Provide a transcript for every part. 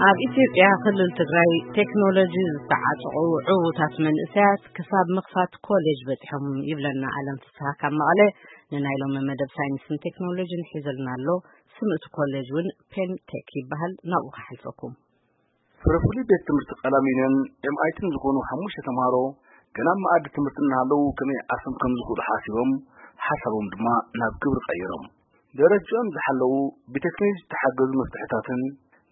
ኣብ ኢትዮጵያ ክልል ትግራይ ቴክኖሎጂ ዝተዓጠቑ ዕዉታት መንእሰያት ክሳብ ምኽፋት ኮሌጅ በፂሖም ይብለና ኣለም ፍስሃ ካብ መቐለ። ንናይ ሎሚ መደብ ሳይንስን ቴክኖሎጂን ሒዘልና ኣሎ። ስም እቲ ኮሌጅ እውን ፔንቴክ ይበሃል። ናብኡ ከሓልፈኩም። ፍረ ፍሉይ ቤት ትምህርቲ ቀላሚኖን ኤምኣይቲን ዝኾኑ ሓሙሽተ ተምሃሮ ገና ኣብ መኣዲ ትምህርቲ እናሃለዉ ከመይ ዓርሶም ከም ዝኽእሉ ሓሲቦም፣ ሓሳቦም ድማ ናብ ግብሪ ቀይሮም። ደረጃኦም ዝሓለዉ ብቴክኖሎጂ ዝተሓገዙ መፍትሕታትን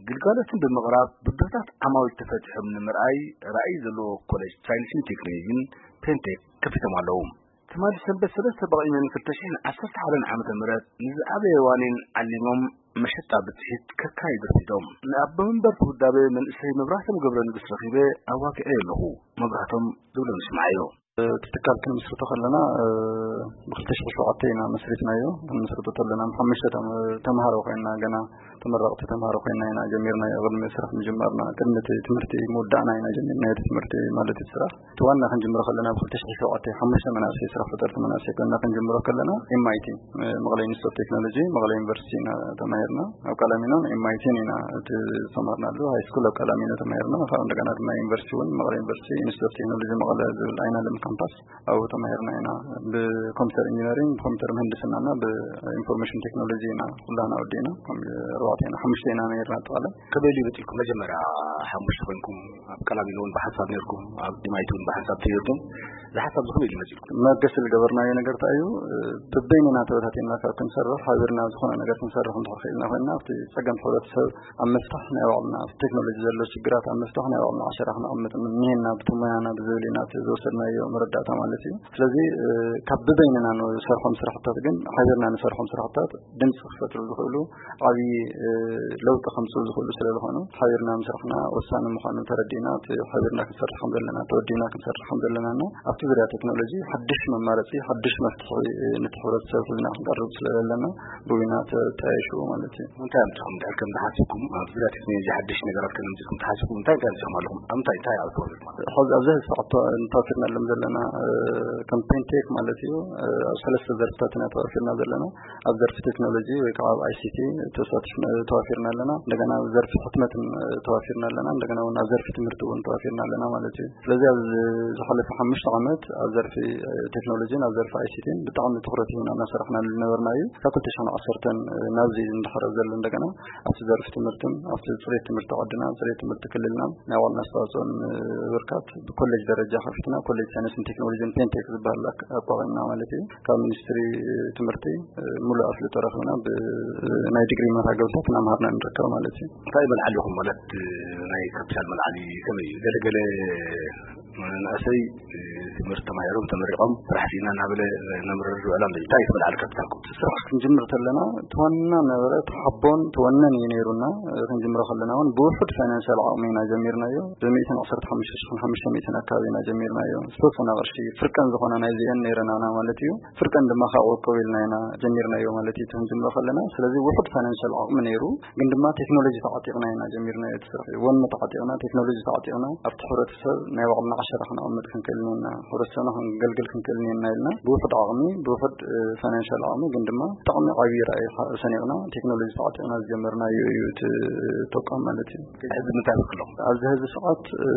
ግልጋሎትን ብምቕራብ ብድሆታት ዓማዊል ተፈቲሖም ንምርኣይ ራእይ ዘለዎ ኮሌጅ ሳይንስን ቴክኖሎጂን ፔንቴክ ከፊቶም ኣለዉ። ትማሊ ሰንበት ሰለስተ በቒመን ክልተ ሽሕን ዓሰርተ ሓደን ዓመተ ምህረት ንዝዓበየ ዋኒን ዓሊሞም መሸጣ ብፅሒት ከካይዱ ርፊዶም። ንኣቦ መንበርቲ ውዳበ መንእሰይ መብራህቶም ገብረ ንጉስ ረኺበ ኣዋግዐ ኣለኹ። መብራህቶም ዝብሎ ንስምዓዮ። እቲ ትካል ክንምስርቶ ከለና፣ እ፣ ብ ክልተ ሽሕን ሸውዓተን ኢና መስሪትናዮ። ክንምስርቶ ከለና ሓሙሽተ ተም-፣ ተምሃሮ ኮይንና፣ ገና ተመረቕቲ ተምሃሮ ኮይንና ኢና ጀሚርናዮ። ቅድሚ ስራሕ ምጅማርና፣ ቅድሚ እቲ ትምህርቲ ምውዳእና ኢና ጀሚርናዮ። እቲ ትምህርቲ ማለት እቲ ስራሕ፣ እቲ ዋና ክንጅምሮ ከለና ብ ክልተ ሽሕን ሸውዓተን ሓሙሽተ መናእሰይ፣ ስራሕ ፈጠርቲ መናእሰይ ኮይንና ክንጅምሮ ከለና፣ ኤምኣይቲ፣ እ፣ መቐለ ኢንስቲትዩት ኦፍ ቴክኖሎጂ፣ መቐለ ዩኒቨርሲቲ ኢና ተማሂርና። ኣብ ቀላሚኖን ኤምኣይቲን ኢና እቲ ዝተማሃርናሉ። ሃይ ስኩል ኣብ ቀላሚኖ ተማሂርና። ካብኡ እንደገና ድማ ዩኒቨርሲቲ እውን፣ መቐለ ዩኒቨርሲቲ ኢንስቲትዩት ኦፍ ቴክኖሎጂ መቐለ ዝብል ኣይናለም ካምፓስ፣ ኣብኡ ተማሂርና ኢና። ብኮምፒውተር ኢንጂነሪንግ፣ ብኮምፒውተር ምህንድስናና ብኢንፎርሜሽን ቴክኖሎጂ ኢና ኩላህና ወዲእና። ከም ኣርባዕተ ኢና፣ ሓሙሽተ ኢና ነይርና ኣጠቓላይ። ከመይ ኢሉ ይመፅልኩም? መጀመርያ ሓሙሽተ ኮይንኩም ኣብ ቀላሚኖ እውን ብሓንሳብ ነይርኩም፣ ኣብ ኤምኣይቲ እውን ብሓንሳብ ተይርኩም። እዚ ሓሳብ እዚ ከመይ ኢሉ ይመፅልኩም? መገሲ ዝገበርናዮ ነገር እንታይ እዩ? በበይንና ተበታቲንና ካብ ክንሰርሕ፣ ሓቢርና ዝኾነ ነገር ክንሰርሕ እንድሕር ክኢልና ኮይንና፣ ኣብቲ ፀገም ሕብረተሰብ ኣብ ምፍታሕ ናይ ባዕልና፣ ኣብቲ ቴክኖሎጂ ዘሎ ሽግራት ኣብ ምፍታሕ ናይ ባዕልና ዓሸራ ክነቐምጥ እኒሄና፣ ብቲ ሞያና ብዝብል ኢና፣ እቲ ዝወሰድናዮ መረዳእታ ማለት እዩ። ስለዚ፣ እ፣ ካብ ብበይንና ንሰርሖም ስራሕታት ግን፣ ሓቢርና ንሰርሖም ስራሕታት ድምፂ ክፈጥሩ ዝኽእሉ፣ ዓብዪ፣ እ፣ ለውጢ ከምፅኡ ዝኽእሉ ስለ ዝኾኑ፣ ሓቢርና ምስራሕና ወሳኒ ምዃኑ ተረዲእና፣ እቲ ሓቢርና ክንሰርሕ ከም ዘለና፣ ተወዲብና ክንሰርሕ ከም ዘለና እና ኣብቲ ዙርያ ቴክኖሎጂ ሓድሽ መማረፂ፣ ሓድሽ መፍትሒ፣ እ፣ ነቲ ሕብረተሰብ ሒዝና ክንቀርብ ስለ ዘለና፣ ብዊና ተጣየሽዎ ማለት እዩ። እንታይ ኣምፅኹም? ድሕር ከም ዝሓስብኩም፣ ኣብ ዙርያ ቴክኖሎጂ ሓድሽ ነገራት ከም ኣምፅኹም ተሓስብኩም፣ እንታይ፣ እንታይ ኣምፅኹም ኣለኹም? ኣብ እንታይ፣ እንታይ ኣብ ተዋፊርኩም ኣለኹም? ሕዚ ኣብዚ ሰዓት ተዋ-፣ ተዋፊርናሎም ዘለና፣ እ፣ ከም ፔንቴክ ማለት እዩ። እ፣ ኣብ ሰለስተ ዘርፍታት ኢና ተዋፊርና ዘለና። ኣብ ዘርፊ ቴክኖሎጂ ወይ ከዓ ኣብ ኣይሲቲ ተሳቲፍና፣ ተዋፊርና ኣለና። እንደገና ኣብ ዘርፊ ሕትመትን፣ እ፣ ተዋፊርና ኣለና። እንደገና እውን ኣብ ዘርፊ ትምህርቲ እውን ተዋፊርና ኣለና ማለት እዩ። ስለዚ ኣብ ዝሓለፈ ሓሙሽተ ዓመት ኣብ ዘርፊ፣ እ፣ ቴክኖሎጂን ኣብ ዘርፊ ኣይሲቲን ብጣዕሚ ትኹረት ሂብና እናሰራሕናሉ ዝነበርና እዩ። ካብ ክልተ ሽሕን ዓሰርተን ናብዚ እንድሕር ዘሎ እንደገና ኣብቲ ዘርፊ ትምህርትን ኣብቲ ፅሬት ትምህርቲ ዓድና፣ ፅሬት ትምህርቲ ክልልና ናይ ባዕልና ኣስተዋፅኦ ንምብርካት ብኮሌጅ ደረጃ ከፊትና፣ ኮሌጅ ሳይንስን ቴክኖሎጂን ፔንቴክ ዝበሃል ኣክ-፣ ኣቋቒምና ማለት እዩ። ካብ ሚኒስትሪ ትምህርቲ፣ እ፣ ሙሉእ ኣፍልጦ ረኺብና ብ-፣ ናይ ዲግሪ መርሃ ግብርታት እናምሃርና ንርከብ ማለት እዩ። እንታይ መልዓሊ ኢኹም? ማለት፣ እ፣ ናይ ካፒታል መልዓሊ ከመይ እዩ? ገለ ገለ መናእሰይ፣ እ፣ ትምህርቲ ተማሂሮም ተመሪቖም ስራሕ ስኢና እናበለ ነምርር ዝውዕል ኣሎ። እንታይ እዩ እቲ መልዓሊ ካፒታልኩም? ስራሕ ክንጅምር ከለና እቲ ዋና ነበረ፣ እቲ ሓቦን እቲ ወነን እዩ ነይሩና። እ፣ ክንጅምሮ ከለና እውን ብውሑድ ፋይናንሻል ዓቕሚ ኢና ጀሚርናዮ። ብሚእትን ዓሰርተ ሓሙሽተ ሽሕን ሓሙሽተ ሚእትን ኣካባቢ ኢና ጀሚርናዮ። ዝተወሰነ ቅርሺ ፍርቀን ዝኾና ናይዚአን ነይረናና ማለት እዩ። ፍርቀን ድማ ካብ ዕቁብ ኢልና ኢና ጀሚርናዮ ማለት እዩ፣ እቲ ክንጅምሮ ከለና። ስለዚ ውሑድ ፋይናንሻል ዓቕሚ ነይሩ፣ ግን ድማ ቴክኖሎጂ ተዓጢቕና ኢና ጀሚርናዮ እቲ ስራሕ። ወኒ ተዓጢቕና፣ ቴክኖሎጂ ተዓጢቕና፣ ኣብቲ ሕብረተሰብ ናይ ባዕልና ዓሸራ ክነቐምጥ ክንክእል እኒአና፣ ሕብረተሰብና ክንገልግል ክንክእል እኒአና ኢልና ብውሑድ ዓቕሚ፣ ብውሑድ፣ እ፣ ፋይናንሻል ዓቕሚ፣ ግን ድማ ብጣዕሚ ዓብዪ ራእይ ሓ-፣ ሰኒቕና፣ ቴክኖሎጂ ተዓጢቕና ዝጀመርናዮ እዩ እቲ ተቋም ማለት እዩ። ሕዚ ምንታይ ኣለኩም? ኣብዚ ሕዚ ሰዓት፣ እ፣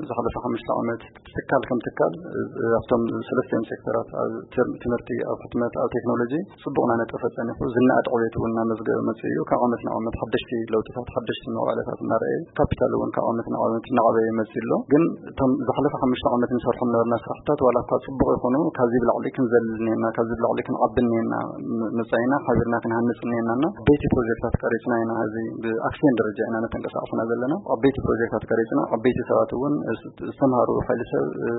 ዝሓለፈ ሓሙሽተ ዓመት ትካል ከም ትካል፣ እ፣ ኣብቶም ሰለስቲኦም ሴክተራት፣ ኣብ ትር-፣ ትምህርቲ፣ ኣብ ሕትመት፣ ኣብ ቴክኖሎጂ፣ ጽቡቕ እናነጠፈ ጸኒሑ፣ ዝነኣድ ዕቤት እውን እናመዝገበ መጺኡ እዩ። ካብ ዓመት ናብ ዓመት ሓደሽቲ ለውጥታት፣ ሓደሽቲ መዋዕለታት እናረኣየ፣ ካፒታል እውን ካብ ዓመት ናብ ዓመት እናዓበየ ይመጽእ ኣሎ። ግን እቶም ዝሓለፈ ሓሙሽተ ዓመት ንሰርሖም ነበርና ስራሕታት፣ ዋላ እኳ ጽቡቕ ይኹኑ፣ ካብዚ ብላዕሊ ክንዘልል እኒአና፣ ካብዚ ብላዕሊ ክንዓቢ እኒአና፣ ም-፣ መጻኢና ሓቢርና ክንሃንጽ እኒአና እና ዓበይቲ ፕሮጀክታት ቀሪጽና ኢና። እዚ ብኣክሲዮን ደረጃ ኢና ነተንቀሳቕስና ዘለና። ዓበይቲ ፕሮጀክታት ቀሪጽና፣ ዓበይቲ ሰባት እውን፣ እ፣ ዝተምሃሩ ሓይሊ ሰብ፣ እ፣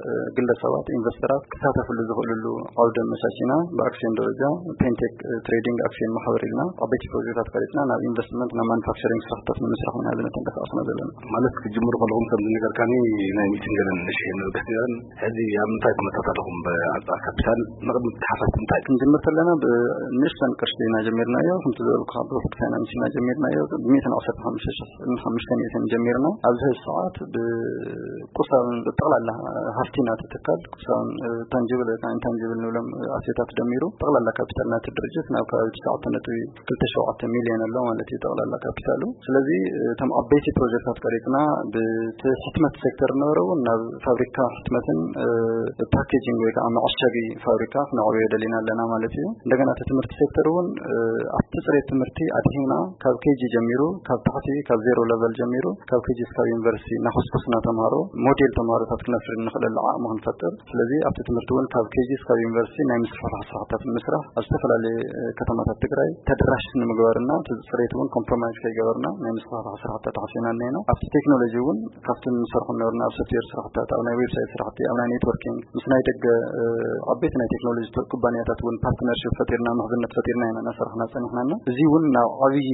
እ፣ ግለሰባት፣ ኢንቨስተራት ክሳተፍሉ ዝኽእልሉ ዓውዲ ኣመቻቺና፣ ብኣክሲዮን ደረጃ ፔንቴክ፣ እ፣ ትሬዲንግ ኣክሲዮን ማሕበር ኢልና ዓበይቲ ፕሮጀክታት ቀሪጽና፣ ናብ ኢንቨስትመንት፣ ናብ ማኑፋክቸሪንግ ስራሕታት ንምስራሕ ኢና ዝንቀሳቐስና ዘለና። ማለት ክትጅምሩ ከለኹም ከም ዝነገርካኒ ናይ ሚእቲ ሽንግልን ንሽሕን ንርግሕ ነይረን። ሕዚ ኣብ ምንታይ ኩነታት ኣለኹም? ብኣንጻር ካፒታል ንቕድሚ ተሓፋስ እንታይ ክንጅምር ከለና ብንእሽተን ቅርሺ ኢና ጀሚርናዮ። ከምቲ ዝበልኩኻ ብውሕድ ፋይናንስ ኢና ጀሚርናዮ። ብ115,500 ጀሚርና ኣብዚ ሕዚ ሰዓት ብቁሳውን ብጠቕላላ ሃፍቲ ናቲ ትካል ቁሳውን ታንጅብል ወይ ከዓ ኢንታንጅብል ንብሎም ኣሴታት ደሚሩ ጠቕላላ ካፒታል ናቲ ድርጅት ናብ ከባቢ 9.27 ሚሊዮን ኣሎ ማለት እዩ ጠቕላላ ካፒታሉ። ስለዚ እቶም ዓበይቲ ፕሮጀክታት ቀሪፅና ብቲ ሕትመት ሴክተር ነበረ እውን ናብ ፋብሪካ ሕትመትን ፓኬጂንግ ወይ ከዓ መዐሸጊ ፋብሪካ ክነዕብዮ ደሊና ኣለና ማለት እዩ። እንደገና እቲ ትምህርቲ ሴክተር እውን ኣብቲ ፅሬት ትምህርቲ ኣድሂና ካብ ኬጂ ጀሚሩ ካብ ታሕቲ ካብ ዜሮ ለቨል ጀሚሩ ካብ ኬጂ እስካብ ዩኒቨርሲቲ እናኮስኮስና ተምሃሮ ሞዴል ተምሃሮታት ክነፍሪ ንኽእለሉ ዓቕሚ ክንፈጥር። ስለዚ ኣብቲ ትምህርቲ እውን ካብ ኬጂ እስካብ ዩኒቨርሲቲ ናይ ምስፍሕፋሕ ስራሕታት ንምስራሕ ኣብ ዝተፈላለየ ከተማታት ትግራይ ተደራሽ ንምግባርና እቲ ፅሬት እውን ኮምፕሮማይዝ ከይገበርና ናይ ምስፍሕፋሕ ስራሕታት ሓሲና እኒና። ኣብቲ ቴክኖሎጂ እውን ካብቲ ንሰርሖ ነበርና ኣብ ሶፍትዌር ስራሕታት ኣብ ናይ ዌብሳይት ስራሕቲ ኣብ ናይ ኔትወርኪንግ ምስ ናይ ደገ ዓበይቲ ናይ ቴክኖሎጂ ኩባንያታት እውን ፓርትነርሽፕ ፈጢርና ምሕዝነት ፈጢርና ኢና እናሰርሕና ፀኒሕናና። እዚ እውን ናብ ዓብዪ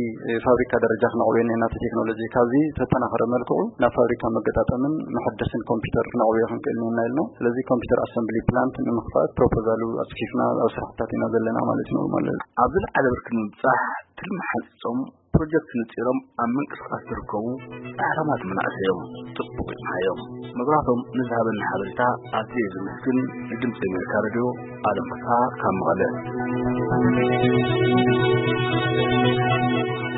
ፋብሪካ ደረጃ ክነዕብዮ እኒና እቲ ቴክኖሎጂ ካብዚ ተጠናኸረ መልክዑ ናብ ፋብሪካ መገጣጠምን መሐደስን ኮምፒውተር ክነዕብዮ ክንክእል እኒና ኢልና። ስለዚ ኮምፒውተር ኣሰምብሊ ፕላንት ንምኽፋት ፕሮፖዛሉ ኣፅፊፍና ኣብ ስራሕታት ኢና ዘለና ማለት እዩ። ኖርማል ኣብዚ ዝለዓለ ብርኪ ንምብፃሕ ትልሚ ሓንፂፆም ፕሮጀክት ነፂሮም ኣብ ምንቅስቃስ ዝርከቡ ፃዕራማት መናእሰይ እዮም። ፅቡቅ ይፅናዮም። መብራህቶም ንዝሃበና ሓበሬታ ኣዝየ ዘመስግን። ንድምፂ ኣሜሪካ ሬድዮ ኣለም ፍስሃ ካብ መቐለ።